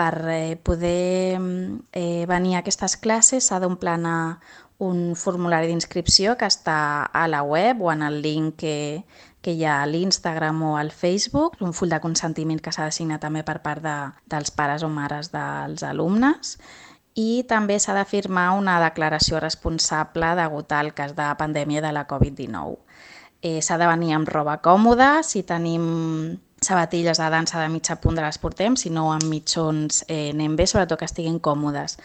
Per poder venir a aquestes classes s'ha d'omplir un formulari d'inscripció que està a la web o en el link que hi ha a l'Instagram o al Facebook, un full de consentiment que s'ha de signar també per part dels pares o mares dels alumnes, i també s'ha de firmar una declaració responsable degut al cas de pandèmia de la Covid-19. S'ha de venir amb roba còmoda, si tenim sabatilles de dansa de mitja punta les portem, si no amb mitjons anem bé, sobretot que estiguin còmodes.